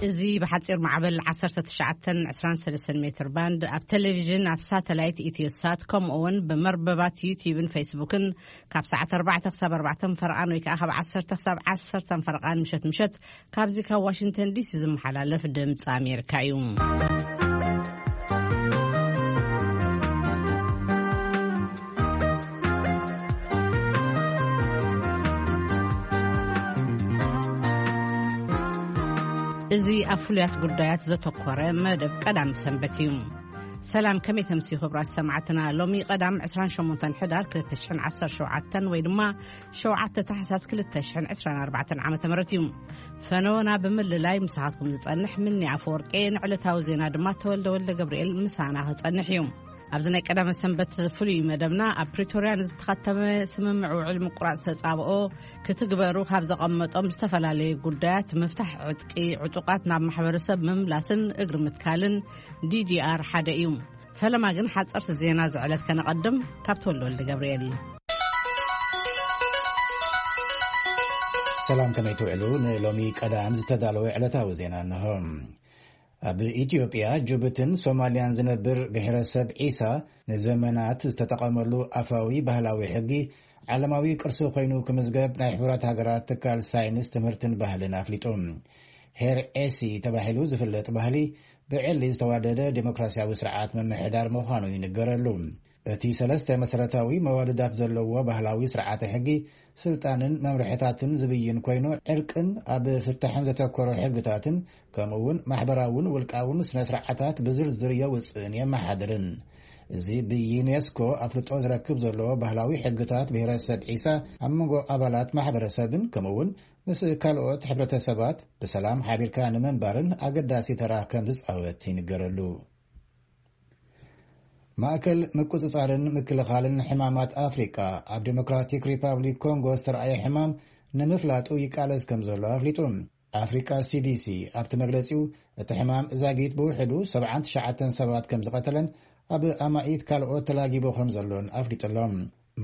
እዚ ብሓጺር ማዕበል ዓሰርተ ትሽዓተ ዕስራን ሰለስተን ሜትር ባንድ፣ ኣብ ቴሌቪዥን፣ ኣብ ሳተላይት ኢትዮሳት፣ ከምኡ እውን ብመርበባት ዩቲዩብን ፌስቡክን ካብ ሰዓት ኣርባዕተ ክሳብ ኣርባዕተ ፈረቓን ወይ ከዓ ካብ ዓሰርተ ክሳብ ዓሰርተ ፈረቓን ምሸት ምሸት ካብዚ ካብ ዋሽንግተን ዲሲ ዝመሓላለፍ ድምፂ ኣሜሪካ እዩ። እዚ ኣብ ፍሉያት ጉዳያት ዘተኮረ መደብ ቀዳም ሰንበት እዩ። ሰላም፣ ከመይ ተምስዩ ክቡራት ሰማዕትና? ሎሚ ቀዳም ዕስራን ሸሞንተን ሕዳር ክልተ ሽሕን ዓሰርተ ሸውዓተን ወይ ድማ ሸውዓተ ታሕሳስ ክልተ ሽሕን ዕስራን ኣርባዕተን ዓመተ ምህረት እዩ። ፈነወና ብምልላይ ምሳኻትኩም ዝጸንሕ ምኒ ኣፈወርቂ፣ ንዕለታዊ ዜና ድማ ተወልደ ወልደ ገብርኤል ምሳና ክጸንሕ እዩ። ኣብዚ ናይ ቀዳመ ሰንበት ፍሉይ መደብና፣ ኣብ ፕሪቶርያ ንዝተኸተመ ስምምዕ ውዕል ምቁራጽ ተጻብኦ ክትግበሩ ካብ ዘቐመጦም ዝተፈላለዩ ጉዳያት፣ ምፍታሕ ዕጥቂ ዕጡቓት ናብ ማሕበረሰብ ምምላስን እግሪ ምትካልን ዲዲኣር ሓደ እዩ። ፈለማ ግን ሓጸርቲ ዜና ዝዕለት ከነቐድም ካብ ተወልደ ወልደ ገብርኤል። ሰላም፣ ከመይ ትውዕሉ? ንሎሚ ቀዳም ዝተዳለወ ዕለታዊ ዜና እንሆ። ኣብ ኢትዮጵያ፣ ጅቡትን ሶማልያን ዝነብር ብሔረሰብ ዒሳ ንዘመናት ዝተጠቐመሉ ኣፋዊ ባህላዊ ሕጊ ዓለማዊ ቅርሲ ኮይኑ ክምዝገብ ናይ ሕቡራት ሃገራት ትካል ሳይንስ፣ ትምህርትን ባህልን ኣፍሊጡ። ሄር ኤሲ ተባሂሉ ዝፍለጥ ባህሊ ብዕሊ ዝተዋደደ ዴሞክራሲያዊ ስርዓት ምምሕዳር ምዃኑ ይንገረሉ። እቲ ሰለስተ መሰረታዊ መዋድዳት ዘለዎ ባህላዊ ስርዓተ ሕጊ ስልጣንን መምርሕታትን ዝብይን ኮይኑ፣ ዕርቅን ኣብ ፍታሕን ዘተኮረ ሕግታትን ከምኡ እውን ማሕበራውን ውልቃውን ስነ ስርዓታት ብዝርዝር የውፅእን የመሓድርን። እዚ ብዩኔስኮ ኣፍልጦ ዝረክብ ዘሎ ባህላዊ ሕግታት ብሔረሰብ ዒሳ ኣብ መንጎ ኣባላት ማሕበረሰብን ከምኡ እውን ምስ ካልኦት ሕብረተሰባት ብሰላም ሓቢርካ ንምንባርን ኣገዳሲ ተራ ከም ዝጻወት ይንገረሉ። ማእከል ምቁጽጻርን ምክልኻልን ሕማማት ኣፍሪቃ ኣብ ዴሞክራቲክ ሪፓብሊክ ኮንጎ ዝተረኣየ ሕማም ንምፍላጡ ይቃለስ ከም ዘሎ ኣፍሊጡ። ኣፍሪቃ ሲዲሲ ኣብቲ መግለጺኡ፣ እቲ ሕማም ዛጊት ብውሕዱ ሰብዓን ትሽዓተን ሰባት ከም ዝቐተለን ኣብ ኣማኢት ካልኦት ተላጊቡ ከም ዘሎን ኣፍሊጡ ኣሎ።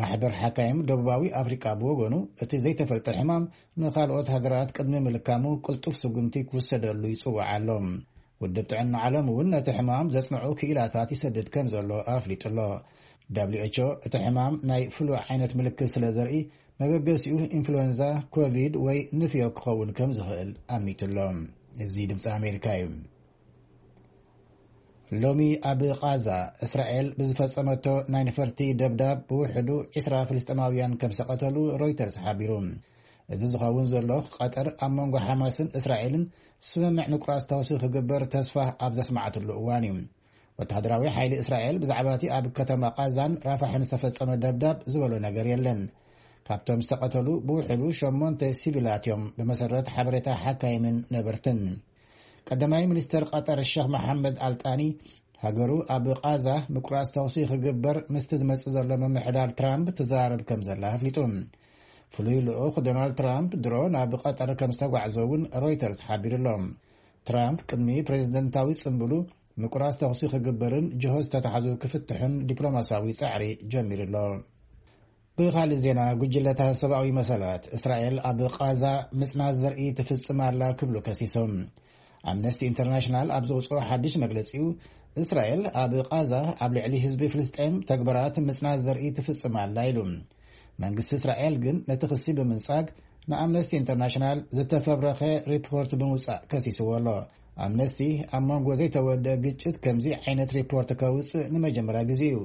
ማሕበር ሓካይም ደቡባዊ ኣፍሪቃ ብወገኑ፣ እቲ ዘይተፈልጠ ሕማም ንኻልኦት ሃገራት ቅድሚ ምልካሙ ቅልጡፍ ስጉምቲ ክውሰደሉ ይጽውዕ ኣሎ። ውድብ ጥዕና ዓለም እውን ነቲ ሕማም ዘጽንዑ ክኢላታት ይሰድድ ከም ዘሎ ኣፍሊጡ ኣሎ። ደብሊው ኤች ኦ እቲ ሕማም ናይ ፍሉ ዓይነት ምልክት ስለ ዘርኢ፣ መበገሲኡ ኢንፍሉዌንዛ፣ ኮቪድ ወይ ንፍዮ ክኸውን ከም ዝኽእል ኣሚቱ ኣሎ። እዚ ድምፂ ኣሜሪካ እዩ። ሎሚ ኣብ ቓዛ እስራኤል ብዝፈጸመቶ ናይ ነፈርቲ ደብዳብ ብውሕዱ ዕስራ ፍልስጤማውያን ከም ዝተቐተሉ ሮይተርስ ሓቢሩ። እዚ ዝኸውን ዘሎ፣ ቀጠር ኣብ መንጎ ሓማስን እስራኤልን ስምምዕ ምቁራጽ ተኹሲ ክግበር ተስፋ ኣብ ዘስማዕትሉ እዋን እዩ። ወተሃደራዊ ሓይሊ እስራኤል ብዛዕባ እቲ ኣብ ከተማ ቓዛን ራፋሕን ዝተፈጸመ ደብዳብ ዝበሎ ነገር የለን። ካብቶም ዝተቐተሉ ብውሕዱ ሸሞንተ ሲቪላት እዮም፣ ብመሰረት ሓበሬታ ሓካይምን ነበርትን። ቀዳማይ ሚኒስተር ቀጠር ሸኽ መሓመድ ኣልጣኒ፣ ሃገሩ ኣብ ቓዛ ምቁራጽ ተኹሲ ክግበር ምስቲ ዝመጽእ ዘሎ ምምሕዳር ትራምፕ ትዛረብ ከም ዘላ ኣፍሊጡ። ፍሉይ ልኡኽ ዶናልድ ትራምፕ ድሮ ናብ ቀጠር ከም ዝተጓዕዘ እውን ሮይተርስ ሓቢሩ ኣሎ። ትራምፕ ቅድሚ ፕሬዝደንታዊ ጽምብሉ ምቁራጽ ተኹሲ ክግበርን ጅሆ ዝተታሕዙ ክፍትሑን ዲፕሎማሲያዊ ጻዕሪ ጀሚሩ ኣሎ። ብኻልእ ዜና፣ ጉጅለታት ሰብኣዊ መሰላት እስራኤል ኣብ ቓዛ ምጽናት ዘርኢ ትፍጽም ኣላ ክብሉ ከሲሶም። ኣምነስቲ ኢንተርናሽናል ኣብ ዘውጽኦ ሓድሽ መግለጺኡ፣ እስራኤል ኣብ ቓዛ ኣብ ልዕሊ ህዝቢ ፍልስጤም ተግባራት ምጽናት ዘርኢ ትፍጽም ኣላ ኢሉ። መንግስቲ እስራኤል ግን ነቲ ክሲ ብምንጻግ ንኣምነስቲ ኢንተርናሽናል ዝተፈብረኸ ሪፖርት ብምውጻእ ከሲስዎ ኣሎ። ኣምነስቲ ኣብ መንጎ ዘይተወደአ ግጭት ከምዚ ዓይነት ሪፖርት ከውጽእ ንመጀመርያ ግዜ እዩ።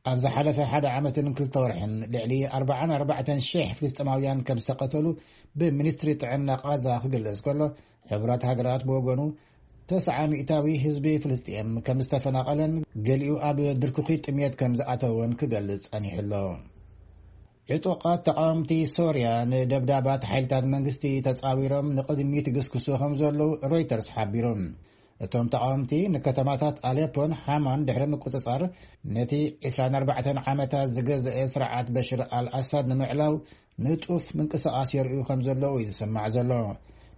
ኣብ ዝሓለፈ ሓደ ዓመትን ክልተ ወርሕን ልዕሊ ኣርባዓን ኣርባዕተን ሽሕ ፍልስጤማውያን ከም ዝተቐተሉ ብሚኒስትሪ ጥዕና ቓዛ ክግለጽ ከሎ፣ ሕቡራት ሃገራት ብወገኑ፣ ተስዓ ሚእታዊ ህዝቢ ፍልስጤም ከም ዝተፈናቐለን ገሊኡ ኣብ ድርኩኺ ጥሜት ከም ዝኣተወን ክገልጽ ጸኒሑ ኣሎ። ዕጡቓት ተቓወምቲ ሶርያ ንደብዳባት ሓይልታት መንግስቲ ተጻዊሮም ንቕድሚት ይግስግሱ ከም ዘለዉ ሮይተርስ ሓቢሩ። እቶም ተቓወምቲ ንከተማታት ኣሌፖን ሓማን ድሕሪ ምቁጽጻር፣ ነቲ ዕስራን ኣርባዕተን ዓመታት ዝገዝአ ስርዓት በሽር ኣልኣሳድ ንምዕላው ንጡፍ ምንቅስቓስ የርእዩ ከም ዘለዉ እዩ ዝስማዕ ዘሎ።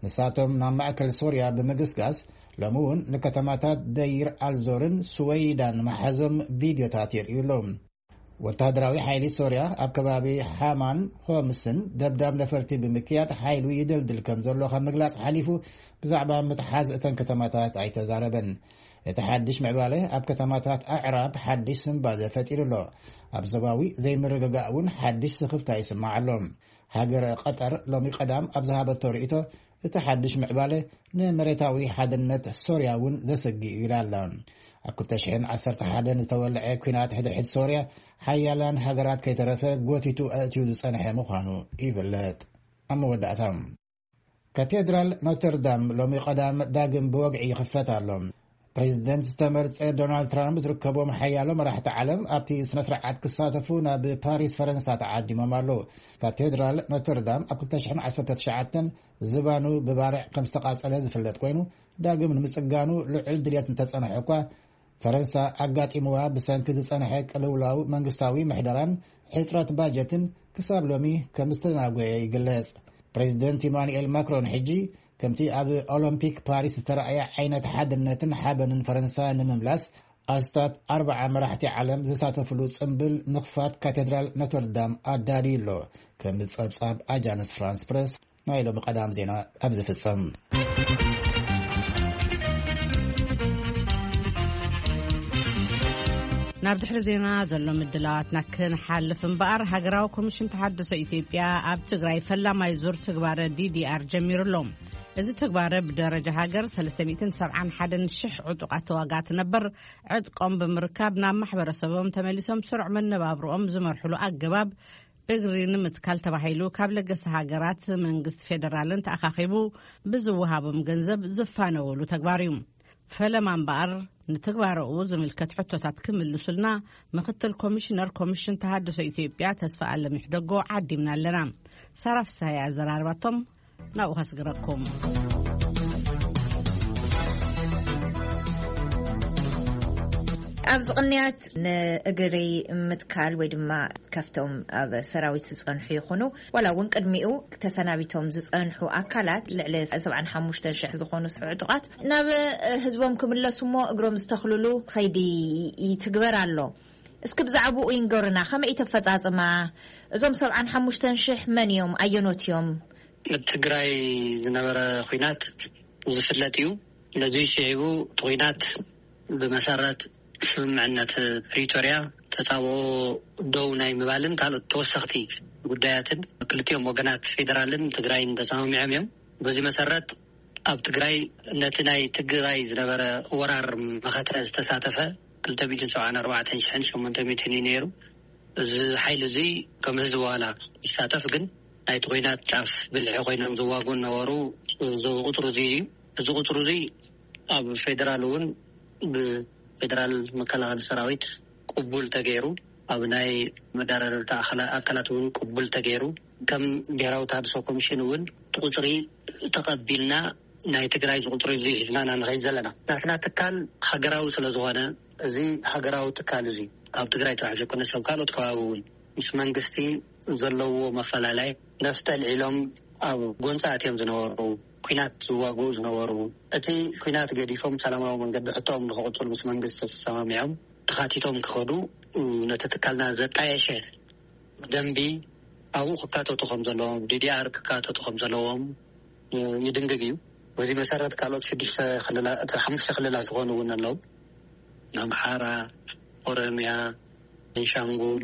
ንሳቶም ናብ ማእከል ሶርያ ብምግስጋስ፣ ሎሚ እውን ንከተማታት ደይር ኣልዞርን ስወይዳን መሓዞም ቪድዮታት የርእዩ ኣለዉ። ወተሃደራዊ ሓይሊ ሶርያ ኣብ ከባቢ ሓማን ሆምስን ደብዳብ ነፈርቲ ብምክያድ ሓይሉ ይደልድል ከም ዘሎ ካብ ምግላጽ ሓሊፉ ብዛዕባ ምትሓዝ እተን ከተማታት ኣይተዛረበን። እቲ ሓድሽ ምዕባለ ኣብ ከተማታት ኣዕራብ ሓድሽ ስንባደ ፈጢሩ ኣሎ። ኣብ ዞባዊ ዘይምርግጋእ እውን ሓድሽ ስኽፍታ ይስማዕ ኣሎ። ሃገረ ቀጠር ሎሚ ቀዳም ኣብ ዝሃበቶ ርእይቶ፣ እቲ ሓድሽ ምዕባለ ንመሬታዊ ሓድነት ሶርያ እውን ዘሰግእ እዩ ኢላ ኣላ። ኣብ ክልተ ሽሕን ዓሰርተ ሓደን ዝተወልዐ ኲናት ሕድሕድ ሶርያ ሓያላን ሃገራት ከይተረፈ ጎቲቱ ኣእትዩ ዝጸንሐ ምዃኑ ይፍለጥ። ኣብ መወዳእታ፣ ካቴድራል ኖተርዳም ሎሚ ቀዳም ዳግም ብወግዒ ይኽፈት ኣሎ። ፕሬዚደንት ዝተመርጸ ዶናልድ ትራምፕ ዝርከቦም ሓያሎ መራሕቲ ዓለም ኣብቲ ስነ ስርዓት ክሳተፉ ናብ ፓሪስ ፈረንሳ ተዓዲሞም ኣለዉ። ካቴድራል ኖተርዳም ኣብ ክልተ ሽሕን ዓሰርተ ትሽዓተን ዝባኑ ብባርዕ ከም ዝተቓጸለ ዝፍለጥ ኮይኑ፣ ዳግም ንምጽጋኑ ልዑል ድልየት እንተጸንሐ እኳ፣ ፈረንሳ ኣጋጢምዋ ብሰንኪ ዝጸንሐ ቅልውላው መንግስታዊ ምሕደራን ሕጽረት ባጀትን ክሳብ ሎሚ ከም ዝተናጎየ ይግለጽ። ፕሬዚደንት ኢማኑኤል ማክሮን ሕጂ ከምቲ ኣብ ኦሎምፒክ ፓሪስ ዝተረኣየ ዓይነት ሓድነትን ሓበንን ፈረንሳ ንምምላስ ኣስታት ኣርብዓ መራሕቲ ዓለም ዝሳተፍሉ ጽምብል ምኽፋት ካቴድራል ኖተርዳም ኣዳልዩ ኣሎ። ከም ጸብጻብ ኣጃንስ ፍራንስ ፕረስ ናይ ሎሚ ቀዳም ዜና ኣብ ዝፍጸም። ናብ ድሕሪ ዜና ዘሎ ምድላዋትና ክንሓልፍ እምበኣር፣ ሃገራዊ ኮሚሽን ተሓድሶ ኢትዮጵያ ኣብ ትግራይ ፈላማይ ዙር ትግባረ ዲዲኣር ጀሚሩ ኣሎ። እዚ ትግባረ ብደረጃ ሃገር ሰለስተ ሚእትን ሰብዓን ሓደን ሽሕ ዕጡቓት ተዋጋእቲ ነበር ዕጥቆም ብምርካብ ናብ ማሕበረሰቦም ተመሊሶም ስሩዕ መነባብሮኦም ዝመርሕሉ ኣገባብ እግሪ ንምትካል ተባሂሉ ካብ ለገስቲ ሃገራት መንግስቲ ፌደራልን ተኣኻኺቡ ብዝወሃቦም ገንዘብ ዝፋነወሉ ተግባር እዩ። ፈለማ እምበኣር ንትግባረኡ ዝምልከት ሕቶታት ክምልሱልና ምክትል ኮሚሽነር ኮሚሽን ተሃድሶ ኢትዮጵያ ተስፋ ኣለሚሕ ደጎ ዓዲምና ኣለና። ሳራ ፍስሃየ ኣዘራርባቶም ናብኡ ከስግረኩም። ኣብዚ ቅንያት ንእግሪ ምትካል ወይ ድማ ካብቶም ኣብ ሰራዊት ዝጸንሑ ይኹኑ ዋላ እውን ቅድሚኡ ተሰናቢቶም ዝጸንሑ ኣካላት ልዕሊ ሰብዓን ሓሙሽተን ሽሕ ዝኾኑ ዕጡቓት ናብ ህዝቦም ክምለሱ እሞ እግሮም ዝተኽልሉ ከይዲ ይትግበር ኣሎ። እስኪ ብዛዕባኡ ይንገሩና፣ ከመይ እዩ ተፈጻጽማ? እዞም ሰብዓን ሓሙሽተን ሽሕ መን እዮም? ኣየኖት እዮም? ኣብ ትግራይ ዝነበረ ኹናት ዝፍለጥ እዩ። ነዚ ሽዒቡ እቲ ኹናት ብመሰረት ስምምዕነት ፕሪቶርያ ተጻብኦ ደው ናይ ምባልን ካልኦት ተወሰኽቲ ጉዳያትን ክልቲኦም ወገናት ፌደራልን ትግራይን ተሰማሚዖም እዮም። በዚ መሰረት ኣብ ትግራይ ነቲ ናይ ትግራይ ዝነበረ ወራር መኸተ ዝተሳተፈ ክልተ ሚእትን ሰብዓን ኣርባዕተን ሽሕን ሸሞንተ ሚእትን እዩ ነይሩ። እዚ ሓይሊ እዚ ከም ህዝቢ ዋላ ይሳተፍ፣ ግን ናይቲ ኹናት ጫፍ ብልሒ ኮይኖም ዝዋጉ ነበሩ። እዚ ቁፅሪ እዚ እዩ። እዚ ቁፅሪ እዚ ኣብ ፌደራል እውን ብፌደራል መከላኸሊ ሰራዊት ቅቡል ተገይሩ፣ ኣብ ናይ መዳረርታ ኣካላ- ኣካላት እውን ቅቡል ተገይሩ፣ ከም ብሔራዊ ተሃድሶ ኮሚሽን እውን እቲ ቁፅሪ ተቐቢልና ናይ ትግራይ ዝቁፅሪ እዚ ሒዝና ኢና ንኸይድ ዘለና። ናትና ትካል ሃገራዊ ስለ ዝኾነ፣ እዚ ሃገራዊ ትካል እዚ ኣብ ትግራይ ጥራሕ ዘይኮነ ሰብ ካልኦት ከባቢ እውን ምስ መንግስቲ ዘለዎ መፈላለይ ነፍጠ ልዒሎም ኣብ ጎንፂ ኣትዮም ዝነበሩ፣ ኲናት ዝዋግኡ ዝነበሩ፣ እቲ ኲናት ገዲፎም ሰላማዊ መንገዲ ሕቶኦም ንክቕፅሉ ምስ መንግስቲ ተሰማሚዖም ተኻቲቶም ክኸዱ፣ ነቲ ትካልና ዘጣየሸ ደንቢ ኣብኡ ክካተቱ ከም ዘለዎም፣ ዲዲኣር ክካተቱ ከም ዘለዎም ይድንግግ እዩ። በዚ መሰረት ካልኦት ሽዱሽተ ክልላት፣ ሓሙሽተ ክልላት ዝኾኑ እውን ኣለዉ። ኣምሓራ፣ ኦሮምያ፣ ቤንሻንጉል፣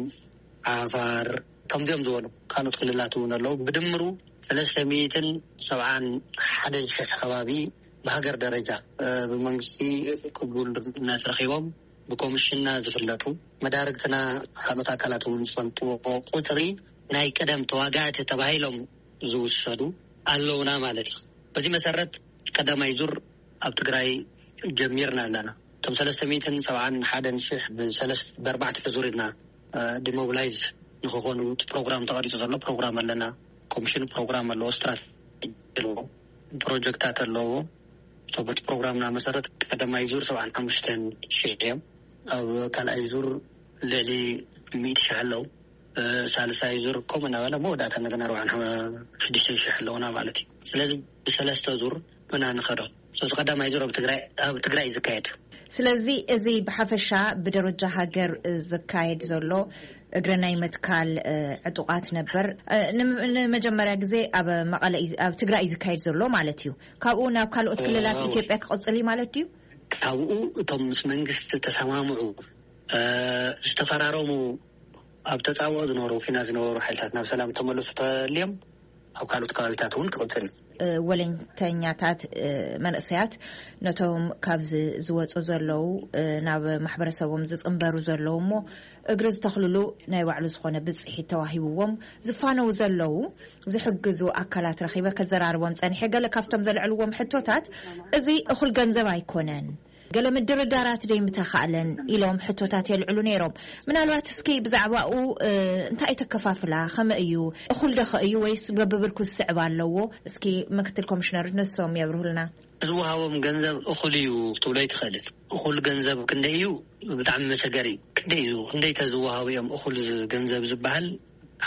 ዓፋር፣ ከምዚኦም ዝበሉ ካልኦት ክልላት እውን ኣለዉ። ብድምሩ ሰለስተ ሚእትን ሰብዓን ሓደን ሽሕ ከባቢ ብሃገር ደረጃ፣ እ፣ ብመንግስቲ ቅቡልነት ረኺቦም ብኮሚሽንና ዝፍለጡ፣ መዳርግትና ካልኦት ኣካላት እውን ዝፈልጥዎ ቁፅሪ ናይ ቀደም ተዋጋእቲ ተባሂሎም ዝውሰዱ ኣለውና ማለት እዩ። በዚ መሰረት ቀዳማይ ዙር ኣብ ትግራይ ጀሚርና ኣለና። እቶም ሰለስተ ሚእትን ሰብዓን ሓደን ሽሕ ብሰለስ-፣ ብኣርባዕተ ዙር ኢና፣ እ፣ ዲሞቢላይዝ ንክኾኑ እቲ ፕሮግራም ተቐሪፁ ዘሎ ፕሮግራም ኣለና። ኮሚሽን ፕሮግራም ኣለዎ፣ ስትራቴጂ ኣለዎ፣ ፕሮጀክታት ኣለዎ። እቶም በቲ ፕሮግራምና መሰረት ቀዳማይ ዙር ሰብዓን ሓሙሽተን ሽሕ እዮም። ኣብ ካልኣይ ዙር ልዕሊ ሚእቲ ሽሕ ኣለዉ። እ፣ ሳልሳይ ዙር ከምኡ እናበለ መወዳእታ እንደገና ኣርባዓን ሽዱሽተን ሽሕ ኣለዉና ማለት እዩ። ስለዚ ብሰለስተ ዙር ኢና ንኸዶ። ሶስ ቀዳማይ ዙር ኣብ ትግራይ ኣብ ትግራይ እዩ ዝካየድ። ስለዚ እዚ ብሓፈሻ ብደረጃ ሃገር ዝካየድ ዘሎ እግረ ናይ ምትካል ዕጡቓት ነበር ንመጀመርያ ግዜ ኣብ መቐለ ኣብ ትግራይ እዩ ዝካየድ ዘሎ ማለት እዩ። ካብኡ ናብ ካልኦት ክልላት ኢትዮጵያ ክቕፅል እዩ ማለት ድዩ? ካብኡ እቶም ምስ መንግስቲ ተሰማምዑ ዝተፈራረሙ ኣብ ተፃብኦ ዝነበሩ ፊና ዝነበሩ ሓይልታት ናብ ሰላም ተመለሱ ተልዮም ኣብ ካልኦት ከባቢታት እውን ክቕፅል እዩ። ወለንተኛታት መንእሰያት ነቶም ካብዚ ዝወፁ ዘለዉ ናብ ማሕበረሰቦም ዝፅንበሩ ዘለዉ እሞ እግሪ ዝተኽልሉ ናይ ባዕሉ ዝኾነ ብፅሒት ተዋሂብዎም ዝፋነው ዘለዉ ዝሕግዙ ኣካላት ረኺበ ከዘራርቦም ፀኒሐ። ገለ ካብቶም ዘልዕልዎም ሕቶታት እዚ እኹል ገንዘብ ኣይኮነን፣ ገለ ምድርዳራት ደይምተኻእለን ኢሎም ሕቶታት የልዕሉ ነይሮም። ምናልባት እስኪ ብዛዕባኡ እንታይ ተከፋፍላ ከመ እዩ እኹል ደኸ እዩ ወይስ በብብርኩ ዝስዕብ ኣለዎ? እስኪ ምክትል ኮሚሽነር ነሶም የብርሁልና። ዝወሃቦም ገንዘብ እኹል እዩ ክትብሎ ኣይትኽእልን። እኹል ገንዘብ ክንደይ እዩ ብጣዕሚ መሸገሪ። ክንደይ እዩ ክንደይ ተዝወሃቡ እዮም እኹል ገንዘብ ዝበሃል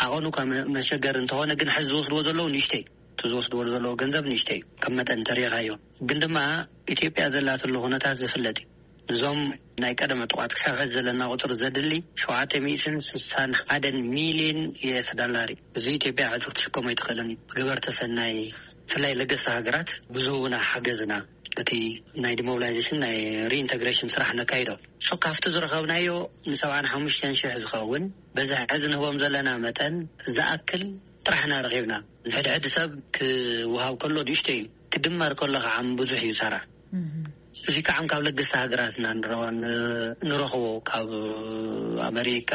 ዓቐኑ ካብ መሸገሪ እንተኾነ ግን ሕዚ ዝወስድዎ ዘለዉ ንእሽተይ እቲ ዝወስድዎ ዘለዉ ገንዘብ ንእሽተይ እዩ ከም መጠን ተሪኻዮ። ግን ድማ ኢትዮጵያ ዘላትሉ ኩነታት ዝፍለጥ እዩ። እዞም ናይ ቀደም ዕጡቓት ክሳብ ሕዚ ዘለና ቁፅሪ ዘድሊ ሸውዓተ ሚእትን ስሳን ሓደን ሚልዮን ዩኤስ ዳላር እዩ። እዚ ኢትዮጵያ ሕዚ ክትሽከሞ ኣይትኽእልን እዩ። ብገበርተ ሰናይ ብፍላይ ለገስቲ ሃገራት ብዝህቡና ሓገዝና እቲ ናይ ዲሞቢላይዜሽን ናይ ሪኢንተግሬሽን ስራሕ ነካይዶ። ሶ ካብቲ ዝረኸብናዮ ንሰብዓን ሓሙሽተን ሽሕ ዝኸውን በዚ ሕዚ ንህቦም ዘለና መጠን ዝኣክል ጥራሕ ኢና ረኺብና። ንሕድሕድ ሰብ ክወሃብ ከሎ ንእሽቶ እዩ፣ ክድመር ከሎ ከዓ ብዙሕ እዩ ሰራ። እዚ ከዓ ካብ ለገስቲ ሃገራት ኢና ንረኽቦ፣ ካብ ኣመሪካ፣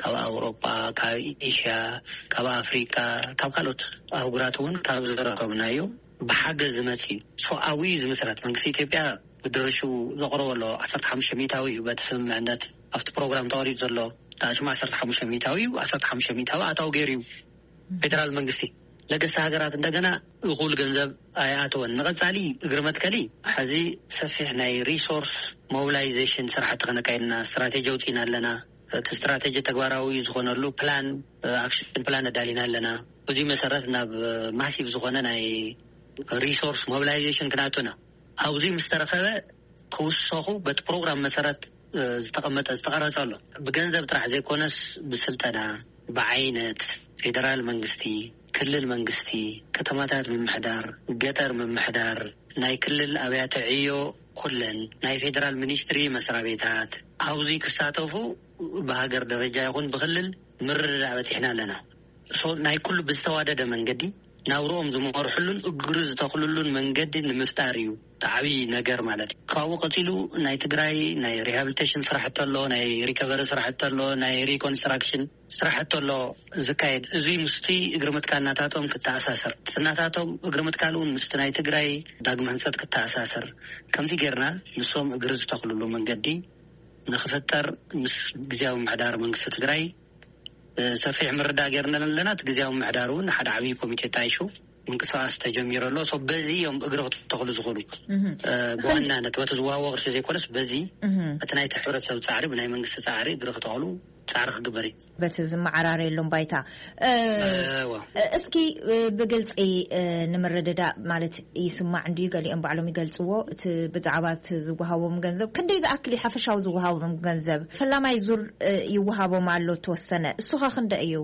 ካብ ኣውሮጳ፣ ካብ ኤሽያ፣ ካብ ኣፍሪካ፣ ካብ ካልኦት ኣህጉራት እውን ካብ ዝረኸብናዮ ብሓገዝ ዝመፅ እዩ። ሰብኣዊ ዝምስረት መንግስቲ ኢትዮጵያ ብድርሹ ዘቕረበ ኣሎ ዓሰርተ ሓሙሽተ ሚእታዊ እዩ። በቲ ስምምዕነት ኣብቲ ፕሮግራም ተቐሪፁ ዘሎ ዳሽማ ዓሰርተ ሓሙሽተ ሚእታዊ እዩ። ዓሰርተ ሓሙሽተ ሚእታዊ ኣታዊ ገይሩ እዩ። ፌደራል መንግስቲ ለገስቲ ሃገራት እንደገና እኹል ገንዘብ ኣይኣተወን። ንቐፃሊ እግሪ መትከሊ ሕዚ ሰፊሕ ናይ ሪሶርስ ሞቢላይዜሽን ስራሕቲ ከነካይድና ስትራቴጂ ኣውፂና ኣለና። እቲ ስትራቴጂ ተግባራዊ ዝኾነሉ ፕላን ኣክሽን ፕላን ኣዳሊና ኣለና። ብዙ መሰረት ናብ ማሲቭ ዝኾነ ናይ ሪሶርስ ሞቢላይዜሽን ክንኣቱና ኣብዚ ምስ ተረኸበ ክውሰኹ በቲ ፕሮግራም መሰረት ዝተቐመጠ ዝተቐረጸ ኣሎ። ብገንዘብ ጥራሕ ዘይኮነስ ብስልጠና፣ ብዓይነት፣ ፌደራል መንግስቲ፣ ክልል መንግስቲ፣ ከተማታት ምምሕዳር፣ ገጠር ምምሕዳር፣ ናይ ክልል ኣብያተ ዕዮ ኩለን ናይ ፌደራል ሚኒስትሪ መስሪያ ቤታት ኣብዚ ክሳተፉ ብሃገር ደረጃ ይኹን ብክልል ምርድዳእ በፂሕና ኣለና። ናይ ኩሉ ብዝተዋደደ መንገዲ ናብርኦም ዝመርሕሉን እግሪ ዝተኽልሉን መንገዲ ንምፍጣር እዩ። ዓብዪ ነገር ማለት እዩ። ካብኡ ቀፂሉ ናይ ትግራይ ናይ ሪሃብሊቴሽን ስራሕቲ ኣሎ፣ ናይ ሪከቨሪ ስራሕቲ ኣሎ፣ ናይ ሪኮንስትራክሽን ስራሕቲ ኣሎ ዝካየድ። እዚ ምስቲ እግሪ ምትካል ናታቶም ክተኣሳሰር፣ ናታቶም እግሪ ምትካል እውን ምስቲ ናይ ትግራይ ዳግመ ህንፀት ክተኣሳሰር ከምዚ ጌርና ንሶም እግሪ ዝተኽልሉ መንገዲ ንክፍጠር ምስ ግዜያዊ ምምሕዳር መንግስቲ ትግራይ ሰፊሕ ምርዳእ ጌርና ኣለና። እቲ ግዜያዊ ምምሕዳር እውን ሓደ ዓብዪ ኮሚቴ ጣይሹ ምንቅስቃስ ተጀሚሩ ኣሎ። በዚ እዮም እግሪ ክተኽሉ ዝኽእሉ። ብዋናነት በቲ ዝወሃቦ ቅርሺ ዘይኮነስ በዚ እቲ ናይቲ ሕብረተሰብ ፃዕሪ ብናይ መንግስቲ ፃዕሪ እግሪ ክተኽሉ ፃዕሪ ክግበር እዩ። በቲ ዝመዓራረየሎም ባይታ እስኪ ብግልፂ ንምርድዳእ ማለት ይስማዕ እንድዩ፣ ገሊኦም ባዕሎም ይገልፅዎ። እቲ ብዛዕባ እቲ ዝወሃቦም ገንዘብ ክንደይ ዝኣክል እዩ ሓፈሻዊ ዝወሃቦም ገንዘብ? ፈላማይ ዙር ይወሃቦም ኣሎ ተወሰነ፣ እሱኸ ክንደ እዩ?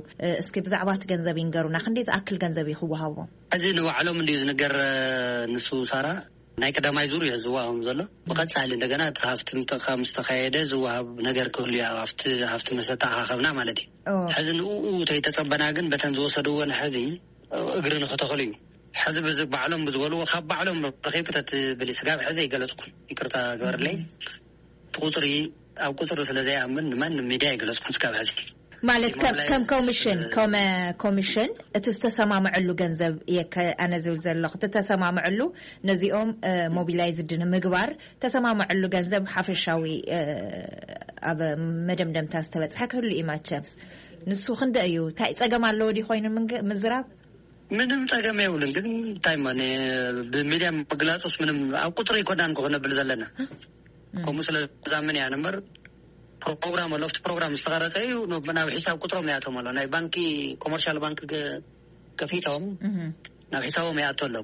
እስኪ ብዛዕባ እቲ ገንዘብ ይንገሩና፣ ክንደይ ዝኣክል ገንዘብ እዩ ክወሃቦም? እዚ ንባዕሎም እንድዩ ዝንገር። ንሱ ሳራ ናይ ቀዳማይ ዙር እዩ ዝወሃቦም ዘሎ። ብቐፃሊ እንደገና እቲ ሃፍቲ ምስ ተካየደ ዝወሃብ ነገር ክህሉ እዩ፣ ኣብቲ ሃፍቲ ምስ ተተኣኻኸብና ማለት እዩ። ሕዚ ንኡ ተይተፀበና ግን በተን ዝወሰድዎን ሕዚ እግሪ ንክተኽሉ እዩ። ሕዚ ባዕሎም ብዝበልዎ ካብ ባዕሎም ረኺብ ተትብል ስጋብ ሕዚ ይገለፅኩ፣ ይቅርታ ግበርለይ። እቲ ቁፅሪ ኣብ ቁፅሪ ስለ ዘይኣምን ንማንም ሚድያ ይገለፅኩ ስጋብ ሕዚ። ማለት ከም ኮሚሽን ከመ ኮሚሽን እቲ ዝተሰማምዐሉ ገንዘብ እየ ኣነ ዝብል ዘለኹ። እቲ ተሰማምዐሉ ነዚኦም ሞቢላይዝድ ንምግባር ተሰማምዐሉ ገንዘብ ሓፈሻዊ ኣብ መደምደምታ ዝተበፅሐ ክህሉ እዩ ማቸምስ። ንሱ ክንደ እዩ? እንታይ ፀገም ኣለዎ ድዩ ኮይኑ ምዝራብ? ምንም ጸገም የብሉን። ግን እንታይ ማ ብሚድያ ምግላጹስ ምንም ኣብ ቁጽሪ ኣይኮናን ክነብል ዘለና። ከምኡ ስለ ዝዛምን እያ ነበር ፕሮግራም ኣሎ። ኣብቲ ፕሮግራም ዝተቐረጸ እዩ ናብ ሒሳብ ቁጽሮም ይኣቶም ኣሎ። ናይ ባንኪ ኮመርሻል ባንክ ከፊቶም ናብ ሒሳቦም ይኣቶ ኣሎ።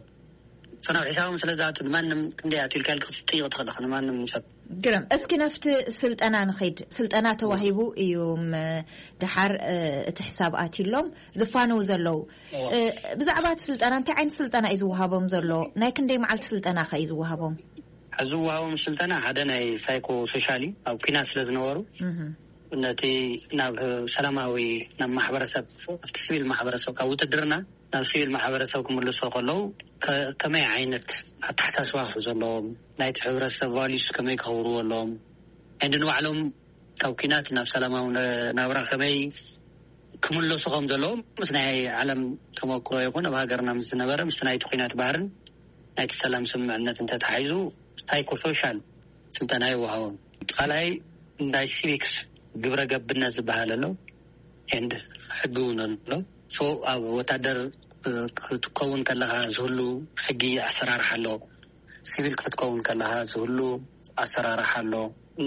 ሰናብ ሕሳቦም ስለ ዝኣቱ ንማንም ክንደይ ኣትልካ ኢልካ ክትጥይቕ ትኽእል ኢኻ፣ ንማንም ሰብ። ግርም። እስኪ ናብቲ ስልጠና ንኸይድ። ስልጠና ተዋሂቡ እዩ፣ ም-፣ ድሓር፣ እ፣ እቲ ሕሳብ ኣትዩሎም ዝፋነው ዘለዉ። እዎ። እ፣ ብዛዕባ እቲ ስልጠና፣ እንታይ ዓይነት ስልጠና እዩ ዝወሃቦም ዘሎ? ናይ ክንደይ መዓልቲ ስልጠና ከ እዩ ዝወሃቦም? ዝወሃቦም ስልጠና ሓደ ናይ ሳይኮ ሶሻል እዩ። ኣብ ኲናት ስለ ዝነበሩ፣ እህ። ነቲ ናብ ሰላማዊ፣ ናብ ማሕበረሰብ፣ ኣብቲ ሲቪል ማሕበረሰብ፣ ካብ ውትድርና ናብ ሲቪል ማሕበረሰብ ክምልሶ ከለዉ፣ ከ-፣ ከመይ ዓይነት ኣተሓሳስባ ክሕዙ ኣለዎም፣ ናይቲ ሕብረተሰብ ቫልዩስ ከመይ ከኽብርዎ ኣለዎም፣ እንዲ ንባዕሎም ካብ ኲናት ናብ ሰላማዊ ነ-፣ ናብራ ከመይ ክምለሱ ከም ዘለዎም፣ ምስ ናይ ዓለም ተመክሮ ይኹን ኣብ ሃገርና ምስ ዝነበረ፣ ምስ ናይቲ ኲናት ባህርን ናይቲ ሰላም ስምምዕነት እንተተሓሒዙ፣ ሳይኮሶሻል ስልጠና ይወሃቦም። ካልኣይ ናይ ሲቪክስ ግብረ ገብነት ዝበሃል ኣሎ፣ ኤንድ ሕጊ እውን ኣሎ። ሶ ኣብ ወታደር፣ እ፣ ክትከውን ከለኻ ዝህሉ ሕጊ ኣሰራርሓ ኣሎ። ሲቪል ክትከውን ከለኻ ዝህሉ ኣሰራርሓ ኣሎ።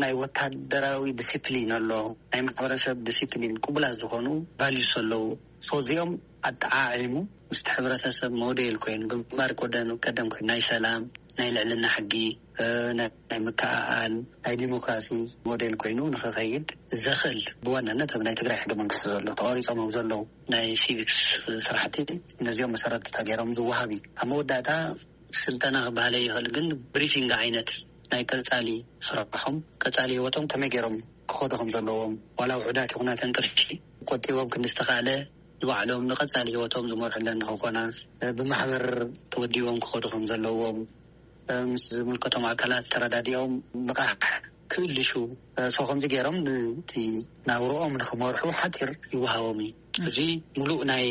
ናይ ወታደራዊ ዲሲፕሊን ኣሎ። ናይ ማሕበረሰብ ዲሲፕሊን፣ ቅቡላት ዝኾኑ ቫልዩስ ኣለዉ። ሶ እዚኦም ኣጠዓዒሙ ምስቲ ሕብረተሰብ ሞዴል ኮይኑ፣ ግንባር ቀደም፣ ቀደም ኮይኑ ናይ ሰላም፣ ናይ ልዕልና ሕጊ፣ እ፣ ናይ፣ ናይ ምክእኣል፣ ናይ ዲሞክራሲ ሞዴል ኮይኑ ንኽኸይድ ዘኽእል፣ ብዋናነት ኣብ ናይ ትግራይ ሕገ መንግስቲ ዘሎ፣ ተቐሪጾም ኣብ ዘለዉ ናይ ሲቪክስ ስራሕቲ፣ ነዚኦም መሰረት ተገይሮም ዝወሃብ እዩ። ኣብ መወዳእታ ስልጠና ክበሃለ ይኽእል፣ ግን ብሪፊንግ ዓይነት ናይ ቀጻሊ ስራሖም፣ ቀጻሊ ህይወቶም ከመይ ገይሮም ክኸዱ ከም ዘለዎም፣ ዋላ ውሑዳት ይኹና ተንቅርሺ ቆጢቦም ክንዲ ዝተኻእለ ንባዕሎም ንቐጻሊ ህይወቶም ዝመርሑለን ንኽኾና፣ ብማሕበር ተወዲቦም ክኸዱ ከም ዘለዎም፣ ምስ ዝምልከቶም ኣካላት ተረዳዲኦም ልቓሕ ክእልሹ፣ ሶ ከምዚ ገይሮም ንቲ ናብርኦም ንኽመርሑ ሓፂር ይወሃቦም እዩ። እዚ ሙሉእ ናይ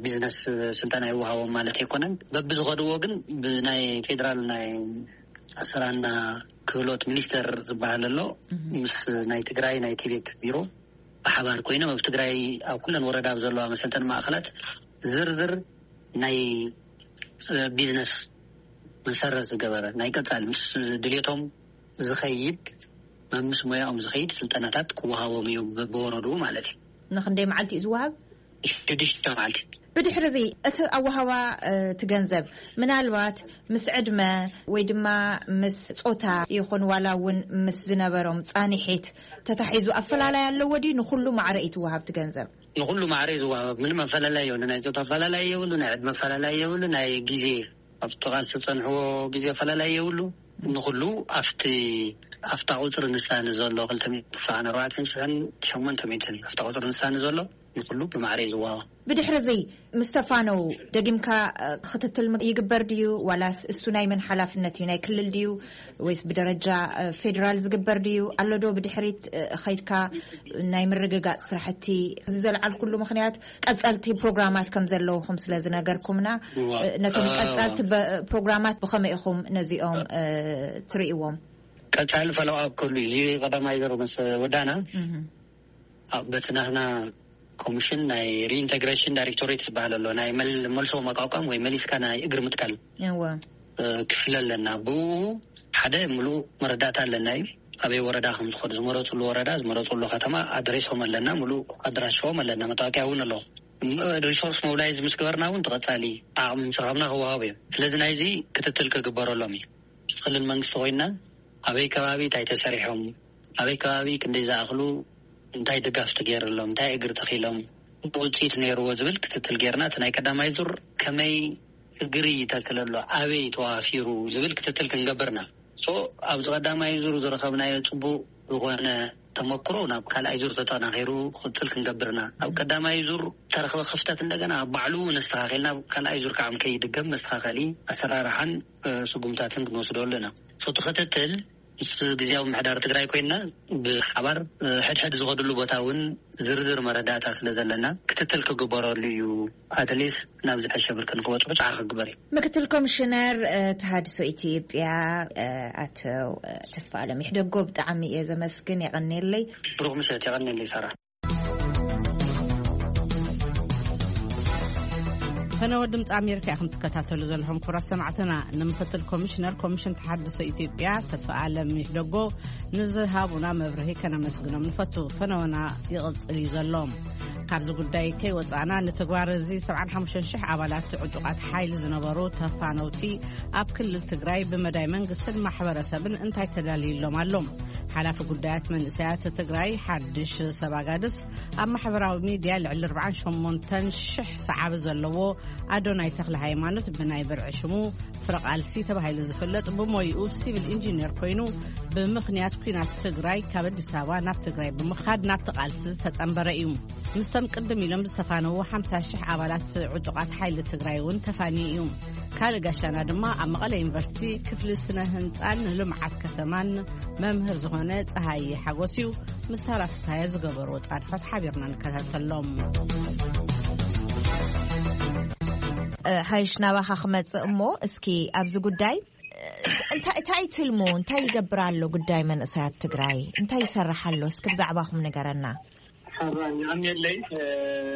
ቢዝነስ ስልጠና ይወሃቦም ማለት ኣይኮነን። በብዝኸድዎ ግን ብናይ ፌዴራል ናይ ስራና ክህሎት ሚኒስቴር ዝበሃል ኣሎ፣ ምስ ናይ ትግራይ ናይ ቲቤት ቢሮ ብሓባር ኮይኖም ኣብ ትግራይ ኣብ ኩለን ወረዳ ኣብ ዘለዋ መሰልጠኒ ማእኸላት ዝርዝር ናይ ቢዝነስ መሰረት ዝገበረ ናይ ቀፃሊ ምስ ድሌቶም ዝኸይድ መምስ ሞያኦም ዝኸይድ ስልጠናታት ክወሃቦም እዩ፣ በብወረድኡ ማለት እዩ። ንክንደይ መዓልቲ እዩ ዝወሃብ? ሽዱሽተ መዓልቲ። ብድሕሪ እዚ እቲ ኣወሃባ፣ እ፣ እቲ ገንዘብ ምናልባት ምስ ዕድመ ወይ ድማ ምስ ጾታ ይኹን ዋላ እውን ምስ ዝነበሮም ጻኒሒት ተታሒዙ ኣፈላላይ ኣለዎ ድዩ? ንኹሉ ማዕረ እዩ ትወሃብ እቲ ገንዘብ? ንኹሉ ማዕረ እዩ ዝወሃብ። ምንም ኣፈላላይ የብሉ። ናይ ጾታ ኣፈላላይ የብሉ፣ ናይ ዕድመ ኣፈላላይ የብሉ፣ ናይ ግዜ ኣብቲ ቃልሲ ዝጸንሕዎ ግዜ ኣፈላላይ የብሉ። ንኹሉ ኣብቲ፣ ኣብታ ቁጽሪ ንሳ ንዘሎ ክልተ ሚእትን ተስዓን ኣርባዕተን ሽሕን ሸሞንተ ሚእትን ኣብታ ቁጽሪ ንሳ ንዘሎ ንኹሉ ብማዕረ እዩ ዝወሃብ። ብድሕሪ እዚ ምስ ተፋነው ደጊምካ፣ እ፣ ክትትል ም-፣ ይግበር ድዩ? ዋላስ እሱ ናይ መን ሓላፍነት እዩ? ናይ ክልል ድዩ? ወይስ ብደረጃ፣ እ፣ ፌዴራል ዝግበር ድዩ? ኣሎ ዶ ብድሕሪት፣ እ፣ ኸይድካ ናይ ምርግጋጽ ስራሕቲ? እዚ ዘልዓልኩሉ ምኽንያት ቀጸልቲ ፕሮግራማት ከም ዘለውኹም ስለ ዝነገርኩምና፣ እዋ። እ፣ ነቶም እ፣ ቀጸልቲ በ-፣ ፕሮግራማት ብኸመይ ኢኹም ነዚኦም፣ እ፣ ትርእይዎም? ቀጻሊ ፎሎው ኣፕ ክህሉ እዩ። እዚ ቀዳማይ ዙር ምስ ወዳና፣ እህ። ኣብ በቲ ናትና ኮሚሽን ናይ ሪኢንተግሬሽን ዳይሬክቶሬት ዝበሃል ኣሎ፣ ናይ መል-፣ መልሶ መቋቋም ወይ መሊስካ ናይ እግሪ ምትካል፣ እወ። እ፣ ክፍሊ ኣለና። ብኡ ሓደ ሙሉእ መረዳእታ ኣለና እዩ። ኣበይ ወረዳ ከም ዝኸዱ፣ ዝመረፅሉ ወረዳ፣ ዝመረፅሉ ከተማ ኣድሬሶም ኣለና፣ ሙሉእ ኣድራሻኦም ኣለና፣ መታወቂያ እውን ኣሎ። ም-፣ ሪሶርስ ሞቢላይዝ ምስ ገበርና እውን ተቐፃሊ ዓቕሚ ምስ ረኸብና ክወሃቡ እዮም። ስለዚ ናይዚ ክትትል ክግበረሎም እዩ። ምስ ክልል መንግስቲ ኮይና ኣበይ ከባቢ እንታይ ተሰሪሖም፣ ኣበይ ከባቢ ክንደይ ዝኣኽሉ እንታይ ድጋፍ ተገይርሎም፣ እንታይ እግሪ ተኺሎም፣ ውፅኢት ነይርዎ ዝብል ክትትል ጌርና፣ እቲ ናይ ቀዳማይ ዙር ከመይ እግሪ ይተክል ኣሎ፣ ኣበይ ተዋፊሩ ዝብል ክትትል ክንገብርና። ሶ ኣብዚ ቀዳማይ ዙር ዝረኸብናዮ ፅቡቅ ዝኾነ ተመክሮ ናብ ካልኣይ ዙር ተጠናኺሩ ክቕፅል ክንገብርና። ኣብ ቀዳማይ ዙር ተረኽበ ክፍተት እንደገና ኣብ ባዕሉ እውን ኣስተኻኺልና፣ ኣብ ካልኣይ ዙር ከዓ ከይድገም መስተኻኸሊ ኣሰራርሓን፣ እ፣ ስጉምታትን ክንወስደሉ ኢና። ሶ እቲ ክትትል ምስ ግዝያዊ ምሕዳር ትግራይ ኮይንና ብሓባር፣ እ፣ ሕድሕድ ዝኸድሉ ቦታ እውን ዝርዝር መረዳእታ ስለ ዘለና ክትትል ክግበረሉ እዩ። ኣትሊስት ናብ ዝሐሸ ብርኪ ንክበፅሑ ፃዕሪ ክግበር እዩ። ምክትል ኮሚሽነር፣ እ፣ ተሃድሶ ኢትዮጵያ፣ እ፣ ኣቶ፣ እ፣ ተስፋ ኣለም ይሕደጎ ብጣዕሚ እየ ዘመስግን። የቐንየለይ። ብሩኽ ምሸት። የቐንየለይ ሳራ። ፈነወ ድምፂ ኣሜሪካ ኢኹም ትከታተሉ ዘለኹም። ክቡራት ሰማዕትና፣ ንምክትል ኮሚሽነር ኮሚሽን ተሓድሶ ኢትዮጵያ ተስፋ ኣለም ይሕደጎ ንዝሃቡና መብርሂ ከነመስግኖም ንፈቱ። ፈነወና ይቕጽል እዩ ዘሎ። ኣብዚ ጉዳይ ከይወፃእና፣ ንተግባር እዚ ሰብዓን ሓሙሽተን ሽሕ ኣባላት ዕጡቓት ሓይሊ ዝነበሩ ተፋነውቲ ኣብ ክልል ትግራይ ብመዳይ መንግስትን ማሕበረሰብን እንታይ ተዳልዩሎም ኣሎም? ሓላፊ ጉዳያት መንእሰያት ትግራይ ሓድሽ ሰብ ኣጋድስ ኣብ ማሕበራዊ ሚድያ ልዕሊ ኣርባዓን ሸሞንተን ሽሕ ሰዓቢ ዘለዎ ኣዶናይ ተኽለ ሃይማኖት ብናይ ብርዒ ሽሙ ፍረቓልሲ ተባሂሉ ዝፍለጥ ብሞይኡ ሲቪል ኢንጂነር ኮይኑ ብምኽንያት ኲናት ትግራይ ካብ ኣዲስ ኣበባ ናብ ትግራይ ብምኻድ ናብቲ ቃልሲ ዝተጸንበረ እዩ። ምስቶም ቅድም ኢሎም ዝተፋነዉ ሓምሳ ሽሕ ኣባላት ዕጡቓት ሓይሊ ትግራይ እውን ተፋንዩ እዩ። ካልእ ጋሻና ድማ ኣብ መቐለ ዩኒቨርሲቲ ክፍሊ ስነ ህንፃን ልምዓት ከተማን መምህር ዝኾነ ፀሃየ ሓጎስ እዩ። ምስ ሳራ ፍስሃየ ዝገበርዎ ፃንሖት ሓቢርና ንከታተሎም። ሓይሽ ናባኻ ክመጽእ እሞ፣ እስኪ ኣብዚ ጉዳይ እንታይ እንታይ ትልሙ? እንታይ ይገብር ኣሎ ጉዳይ መንእሰያት ትግራይ? እንታይ ይሰርሕ ኣሎ? እስኪ ብዛዕባኹም ንገረና። ሓራይ ኣንየለይ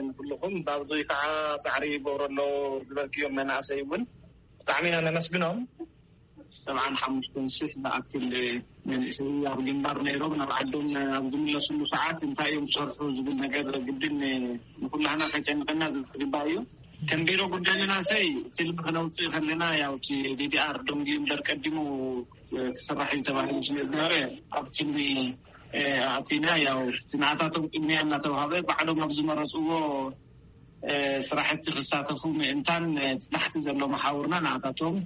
ንኩልኹም፣ ባብዙይ ከዓ ፃዕሪ ይገብሩ ኣለዉ ዝበልክዮም መናእሰይ እውን ብጣዕሚ ኢና ነመስግኖም። ሰብዓን ሓሙሽተን ሽሕ ዝኣክል መንእሰይ ኣብ ግንባር ነይሮም ናብ ዓዶም ኣብ ዝምለስሉ ሰዓት እንታይ እዮም ዝሰርሑ ዝብል ነገር ግድን ንኩላህና ከጨንቀና ዝግባእ እዩ። ከም ቢሮ ጉዳይ መናእሰይ ትልሚ ክነውፅእ ከለና ያው እቲ ዲዲኣር ደንጊዩ እምበር ቀዲሙ ክስራሕ እዩ ተባሂሉ ስለ ዝነበረ ኣብ ትልሚ ኣቲና ያው እቲ ንኣታቶም ቅድሚያ እናተዋሃበ ባዕሎም ኣብ ዝመረፅዎ ስራሕቲ ክሳተፉ ምእንታን እቲ ታሕቲ ዘሎ መሓውርና ንኣታቶም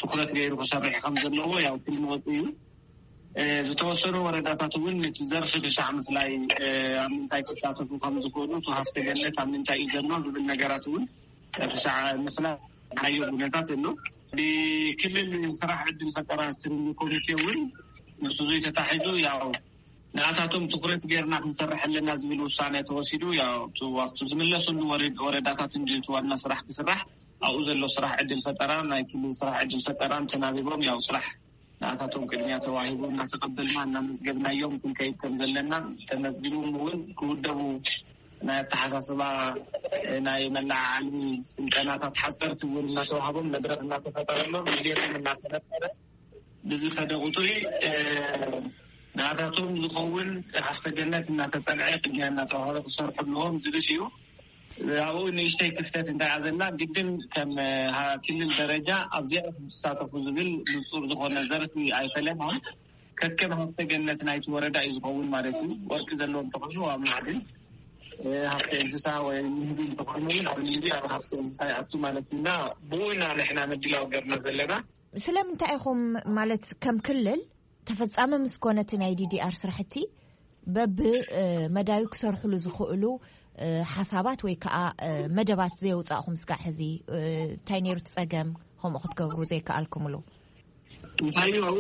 ትኩረት ገይሩ ክሰርሕ ከም ዘለዎ ያው ትልሚ ወፂኡ እዩ። ዝተወሰኑ ወረዳታት እውን እቲ ዘርፊ ክሻዕ ምፍላይ ኣብ ምንታይ ክሳተፉ ከም ዝኽእሉ እቲ ሃፍተ ገነት ኣብ ምንታይ እዩ ዘሎ ዝብል ነገራት እውን ክሻዕ ምፍላይ ናዮ ኩነታት ኣሎ። ብክልል ስራሕ ዕድል ፈጠራ ስትሪንግ ኮሚቴ እውን ምስ እዙይ ተታሒዙ ያው ንኣታቶም ትኩረት ገይርና ክንሰርሕ ኣለና ዝብል ውሳነ ተወሲዱ ያው ኣብቲ ዝምለሱሉ ወረዳታት እንጂ ዋና ስራሕ ክስራሕ ኣብኡ ዘሎ ስራሕ ዕድል ፈጠራ ናይ ክልል ስራሕ ዕድል ፈጠራን ተናቢቦም ያው ስራሕ ንኣታቶም ቅድሚያ ተዋሂቡ እናተቐበልና እናመዝገብናዮም ክንከይድ ከም ዘለና ተመዝጊቦም እውን ክውደቡ ናይ ኣተሓሳስባ ናይ መለዓዓሊ ስልጠናታት ሓፀርቲ እውን እናተዋህቦም መድረክ እናተፈጠረሎም ድሌቶም እናተፈጠረ ብዝኸደ ቁፅሪ ንኣታቶም ዝኸውን ሃፍተ ገነት እናተፀንዐ ቅድሚያ እናተዋህበ ክሰርሑ ኣለዎም ዝብል እዩ። ኣብኡ ንእሽተይ ክፍተት እንታይ እያ ዘላ ግድን ከም ክልል ደረጃ ኣብዚኣ ዝሳተፉ ዝብል ንፁር ዝኾነ ዘርፊ ኣይፈለናን። ከከም ሃፍተ ገነት ናይቲ ወረዳ እዩ ዝኸውን ማለት እዩ። ወርቂ ዘለዎም ተኾኑ ኣብ ማዕድን ሃፍተ እንስሳ ወይ ንህቢ እንተኾኑ እውን ኣብ ንህቢ ኣብ ሃፍተ እንስሳ ይኣቱ ማለት እዩ እና ብኡ ኢና ንሕና ምድላው ገርና ዘለና። ስለምንታይ ኢኹም ማለት ከም ክልል ተፈጻሚ ምስ ኮነ እቲ ናይ ዲዲኣር ስራሕቲ በብ መዳዩ ክሰርሕሉ ዝኽእሉ ሓሳባት ወይ ከዓ መደባት ዘየውፃእኹም ስጋዕ ሕዚ እንታይ ነይሩ እቲ ፀገም ከምኡ ክትገብሩ ዘይከኣልኩምሉ? እንታይ እዩ ኣብኡ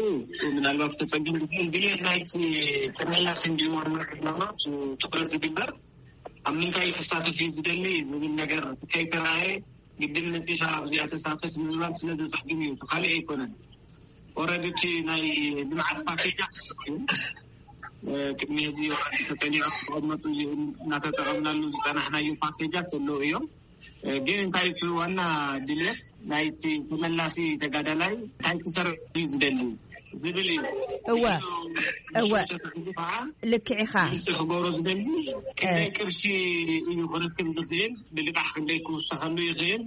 ምናልባት ተፀገም ዝብል ድሌት ናይቲ ተመላሲ እንዲዋና ዕላማ ትኩረት ዝግበር ኣብ ምንታይ ክሳተፍ እዩ ዝደሊ ዝብል ነገር ከይተረኣየ ግድን መፂኻ ኣብዚኣ ተሳተፍ ንምባል ስለ ዘፀግም እዩ፣ ካልእ ኣይኮነን። ኦረዲ እቲ ናይ ልምዓት ፓኬጃት እዩ። ቅድሚ ሕዚ ተፀኒዖም ተቐመጡ እናተጠቐምናሉ ዝፀናሕናዮ ፓኬጃት ዘለዉ እዮም። ግን እንታይ እቲ ዋና ድልየት ናይቲ ተመላሲ ተጋዳላይ እንታይ ክሰርሕ እዩ ዝደሊ ዝብል እዩ። እወ እወ ልክዕ ኢኻ። ክገብሮ ዝደሊ ክንደይ ቅርሺ እዩ ክረክብ ዝኽእል፣ ብልቃሕ ክንደይ ክውሰኸሉ ይኽእል፣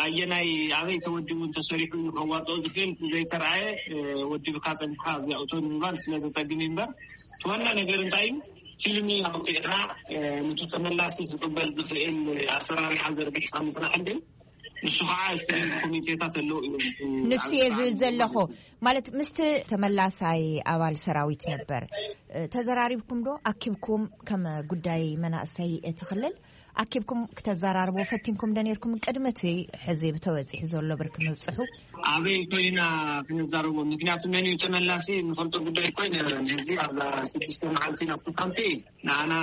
ኣየናይ ኣበይ ተወዲቡ እንተሰሪሑ እዩ ከዋፅኦ ዝኽእል ዘይተረኣየ ወዲብካ ፀኒሕካ ኣብዚኣ እቶ ንምባል ስለ ዘፀግም እዩ እምበር እቲ ዋና ነገር እንታይ እዩ? ፊልሚ ኣውፂእኻ ነቲ ተመላሲ ዝቕበል ዝኽእል ኣሰራርሓ ዘርጊሕካ ምፅናሕ እንድዩ። ንሱ ከዓ ስትሪንግ ኮሚቴታት ኣለዉ እዮም። ንሱ እየ ዝብል ዘለኹ ማለት ምስቲ ተመላሳይ ኣባል ሰራዊት ነበር ተዘራሪብኩም ዶ ኣኪብኩም ከም ጉዳይ መናእሰይ እቲ ክልል ኣኪብኩም ክተዘራርቦ ፈቲንኩም ዶ ነርኩም ቅድሚ እቲ ሕዚ ብተበፂሑ ዘሎ ብርኪ ምብፅሑ? ኣበይ ኮይና ክንዛረቦ ምክንያቱ መን እዩ ተመላሲ ንፈልጦ ጉዳይ እኮ ኣይነበረን። ሕዚ ኣብዛ ስድስተ መዓልቲ ናብቲ ካምፒ ንዓና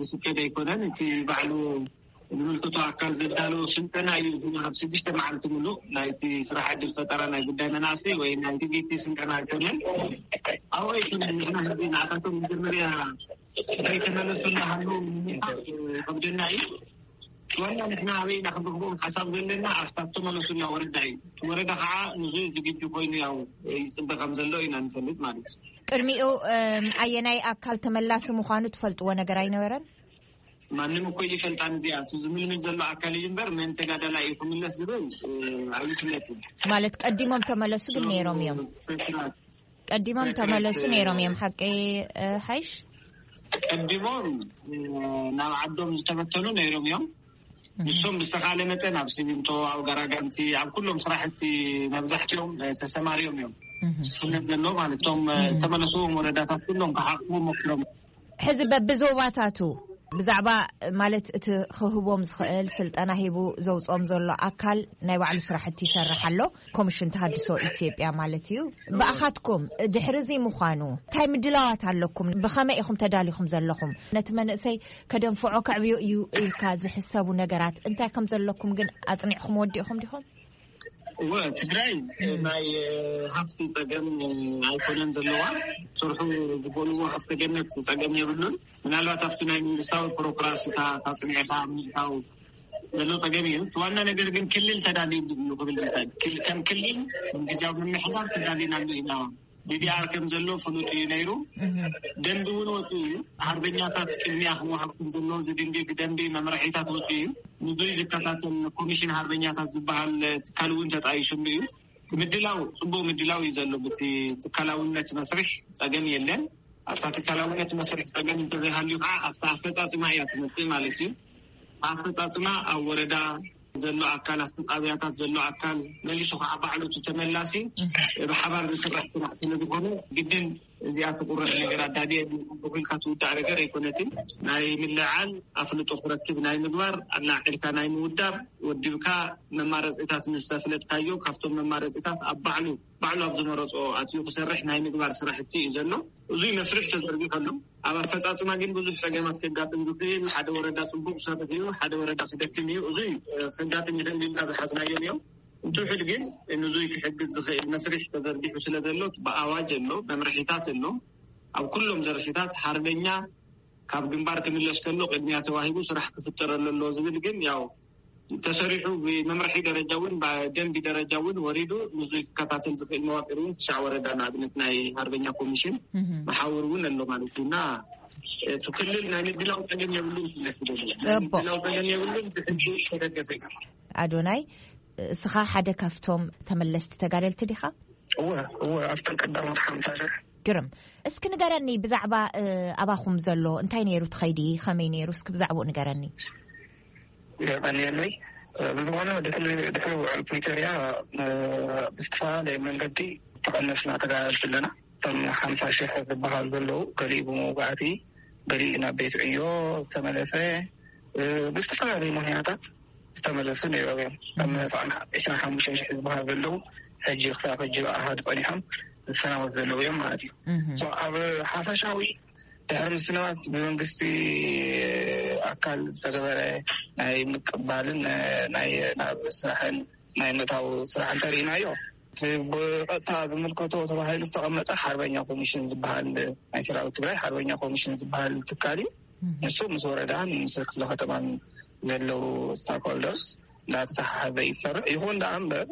ዝፍቀድ ኣይኮነን። እቲ ባዕሉ ዝምልከቶ ኣካል ዘዳለዎ ስልጠና እዩ። ኣብ ስድስተ መዓልቲ ምሉእ ናይቲ ስራሕ ዕድል ፈጠራ ናይ ጉዳይ መናእሰይ ወይ ናይ ቲቪቲ ስልጠና ኣይኮነን። ኣብኡ ኣይኮነን። ንሕና ሕዚ ንዓታቶም መጀመርያ ከይተመለሱ እናሃለዉ ምምልካት ከብደና እዩ። ዋና ንሕና ኣበይ ኢና ክንረኽቦም ሓሳብ ዘለና ኣብታ ተመለሱላ ወረዳ እዩ። እቲ ወረዳ ከዓ ንዙ ዝግጁ ኮይኑ ያው ይፅበ ከም ዘሎ ኢና ንፈልጥ ማለት እዩ። ቅድሚኡ ኣየናይ ኣካል ተመላሲ ምዃኑ ትፈልጥዎ ነገር ኣይነበረን? ማንም እኮ ይፈልጣን እዚኣ፣ እቲ ዝምልምል ዘሎ ኣካል እዩ እምበር፣ መን ተጋዳላይ እዩ ክምለስ ዝብል፣ እ፣ ኣይፍለጥን። ማለት ቀዲሞም ተመለሱ ግን ነይሮም እዮም። ሰክራት፣ ቀዲሞም ሰክራት፣ ተመለሱ እ፣ ነይሮም እዮም። ሓቂ፣ እ፣ ሓይሽ? ቀዲሞም፣ እ፣ ናብ ዓዶም ዝተበተኑ ነይሮም እዮም። እህ። ንሶም ብዝተኻለ መጠን ኣብ ሲሚንቶ፣ ኣብ ጋራጋንቲ፣ ኣብ ኩሎም ስራሕቲ መብዛሕትኦም፣ እ፣ ተሰማሪዮም እዮም። እህ። ስፍነት ዘሎ ማለት እቶም፣ እ፣ እህ። ዝተመለስዎም ወረዳታት ኩሎም ክሓቑ ሞክሮም። ሕዚ በብዞባታቱ ብዛዕባ ማለት እቲ ክህቦም ዝኽእል ስልጠና ሂቡ ዘውፅኦም ዘሎ ኣካል ናይ ባዕሉ ስራሕቲ ይሰርሕ ኣሎ። ኮሚሽን ተሃድሶ ኢትዮጵያ ማለት እዩ። ብኣኻትኩም ድሕሪ እዚ ምዃኑ እንታይ ምድላዋት ኣለኩም? ብኸመይ ኢኹም ተዳሊኹም ዘለኹም? ነቲ መንእሰይ ከደንፍዖ ከዕብዮ እዩ ኢልካ ዝሕሰቡ ነገራት እንታይ ከም ዘለኩም ግን ኣጽኒዕኩም ወዲእኹም ዲኹም? እወ፣ ትግራይ እም። ናይ፣ እ፣ ሃፍቲ ጸገም፣ እ፣ ኣይኮነን ዘለዋ። ስርሑ ዝበልዎ ሃፍቲ ገነት ጸገም የብሉን። ምናልባት ኣብቲ ናይ መንግስታዊ ቢሮክራሲታት ኣጽኒዕካ ምእታው ዘሎ ጸገም እዩ። እቲ ዋና ነገር ግን ክልል ተዳልዩ እዩ ክብል ይኽእል። ክል-፣ ከም ክልል ግዝያዊ ምምሕዳር ተዳሊና ኣሎ ኢና። ዲዲኣር ከም ዘሎ ፍሉጥ እዩ ነይሩ። እህ። ደንቢ እውን ወፂኡ እዩ። ሃርበኛታት ቅድሚያ ክወሃብ ከም ዘለዎ ዝድንግግ ደንቢ መምርሒታት ወፂኡ እዩ። ንዙይ ዝከታተል ኮሚሽን ሃርበኛታት ዝበሃል ትካል እውን ተጣይሽሉ እዩ። ምድላው፣ ፅቡቅ ምድላው እዩ ዘሎ። ብቲ ትካላውነት መስርሕ ፀገም የለን። ኣብታ ትካላውነት መስርሕ ፀገም እንተዘይሃልዩ ከዓ ኣብታ ኣፈፃፅማ እያ ትመፅእ ማለት እዩ። ኣፈፃፅማ ኣብ ወረዳ ዘሎ ኣካል፣ ኣብቲ ጣብያታት ዘሎ ኣካል መሊሱ ከዓ ባዕሉ እቲ ተመላሲ እህ። ብሓባር ዝስራሕ ስራሕ ስለ ዝኾነ ግድን እዚኣ ትቁረፅ ነገር ኣዳድየ ኢልካ ትውዳእ ነገር ኣይኮነትን። ናይ ምልዓል ኣፍልጦ ክረክብ ናይ ምግባር ኣላዒልካ ናይ ምውዳብ ወዲብካ መማረፂታት ምስ ኣፍለጥካዮ ካብቶም መማረፂታት ኣብ ባዕሉ ባዕሉ ኣብ ዝመረፆ ኣትዩ ክሰርሕ ናይ ምግባር ስራሕቲ እዩ ዘሎ። እዙይ መስርሕ ተዘርጊሑ ኣሎ። ኣብ ኣፈፃፅማ ግን ብዙሕ ፀገማት ከጋጥም ዝኽእል፣ ሓደ ወረዳ ፅቡቅ ሰርሕ እዩ፣ ሓደ ወረዳ ክደክም እዩ። እዙይ፣ እ፣ ከጋጥም ይኽእል ኢልና ዝሓዝናዮም እዮም። እንትውሕድ ግን ንዙይ ክሕግዝ ዝኽእል መስርሕ ተዘርጊሑ ስለ ዘሎ ብኣዋጅ ኣሎ፣ መምርሒታት ኣሎ። ኣብ ኩሎም ዘርፊታት ሓርበኛ ካብ ግንባር ክምለስ ከሎ ቅድሚያ ተዋሂቡ ስራሕ ክፍጠረሉ ኣሎ ዝብል ግን ያው ተሰሪሑ ብመምርሒ ደረጃ እውን ብደንቢ ደረጃ እውን ወሪዱ ንዙይ ክከታተል ዝኽእል መዋቅር እውን ትሽዓ ወረዳ ንኣብነት ናይ ሃርበኛ ኮሚሽን እህ። መሓውር እውን ኣሎ ማለት እዩ። እና እቲ ክልል ናይ ምድላው ጸገም የብሉን ክብለክ ይደሊ። ናይ ጽቡቅ። ምድላው ጸገም የብሉን፣ ብሕጊ ዝተደገፈ እዩ። ኣዶናይ፣ እስኻ ሓደ ካብቶም ተመለስቲ ተጋደልቲ ዲኻ? እወ፣ እወ፣ ኣብተን ቀዳሞት ሓምሳ ሽሕ። ግርም። እስኪ ንገረኒ ብዛዕባ፣ እ፣ ኣባኹም ዘሎ እንታይ ነይሩ ትኸይዲ፣ ከመይ ነይሩ? እስኪ ብዛዕባኡ ንገረኒ። የቐንየለይ። እ፣ ብዝኾነ ድሕሪ፣ ድሕሪ ውዕል ፕሪቶርያ፣ እ፣ ብዝተፈላለየ መንገዲ ተቐነስና ተጋደልቲ ኣለና። እቶም ሓምሳ ሽሕ ዝበሃል ዘለዉ፣ ገሊኡ ብመውጋእቲ፣ ገሊኡ ናብ ቤት ዕዮ ዝተመለሰ፣ እ፣ ብዝተፈላለዩ ምኽንያታት ዝተመለሱ ነይሮም እዮም። ከም ፋና ዕስራን ሓሙሽተን ሽሕ ዝበሃል ዘለዉ፣ ሕጂ ክሳብ ሕጂ ብኣሃዱ ጸኒሖም ዝሰናበት ዘለዉ እዮም ማለት እዩ። እህ። ሶ፣ ኣብ ሓፈሻዊ ድሕሪ ምስናባት ብመንግስቲ ኣካል ዝተገበረ ናይ ምቅባልን፣ እ፣ ናይ ናብ ስራሕን ናይ ምእታው ስራሕ እንተርኢናዮ፣ እቲ ብቐጥታ ዝምልከቶ ተባሂሉ ዝተቐመጠ ሓርበኛ ኮሚሽን ዝበሃል ናይ ሰራዊት ትግራይ ሓርበኛ ኮሚሽን ዝበሃል ትካል እዩ። እህ። ንሱ ምስ ወረዳን ምስ ክፍለ ከተማን ዘለዉ ስታክሆልደርስ እንዳተተሓሓዘ ይሰርሕ። ይኹን ደኣ እምበር፣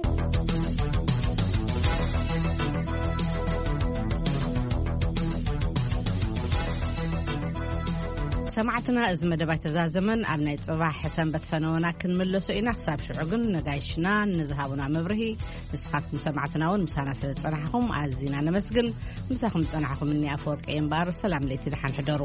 ሰማዕትና፣ እዚ መደብ ኣይተዛዘመን። ኣብ ናይ ጽባሕ ሰንበት ፈነወና ክንምለሶ ኢና። ክሳብ ሽዑ ግን ነጋይሽና ንዝሃቡና መብርሂ፣ ንስኻትኩም ሰማዕትና እውን ምሳና ስለ ዝጸናሕኹም ኣዚና ነመስግን። ምሳኹም ዝጸናሕኹም እኒ ኣፈወርቂ እምበኣር፣ ሰላም ለይቲ፣ ደሓን ሕደሩ።